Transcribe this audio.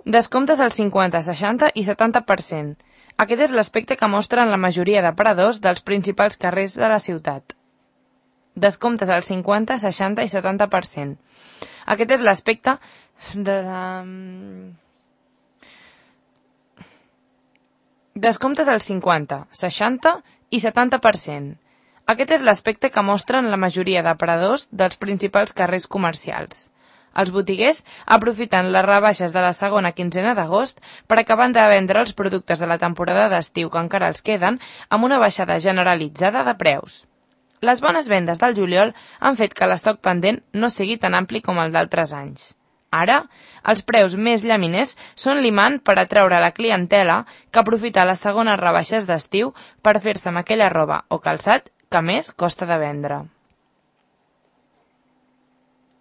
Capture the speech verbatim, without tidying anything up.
Descomptes al cinquanta, seixanta i setanta per cent. Aquest és l'aspecte que mostren la majoria d'aparadors dels principals carrers de la ciutat. Descomptes al cinquanta, seixanta i setanta per cent. Aquest és l'aspecte de la... Descomptes al cinquanta, seixanta i setanta per cent. Aquest és l'aspecte que mostren la majoria d'aparadors dels principals carrers comercials. Els botiguers aprofiten les rebaixes de la segona quinzena d'agost per acabar de vendre els productes de la temporada d'estiu que encara els queden amb una baixada generalitzada de preus. Les bones vendes del juliol han fet que l'estoc pendent no sigui tan ampli com el d'altres anys. Ara, els preus més llaminers són l'imant per atraure la clientela que aprofita les segones rebaixes d'estiu per fer-se amb aquella roba o calçat que més costa de vendre.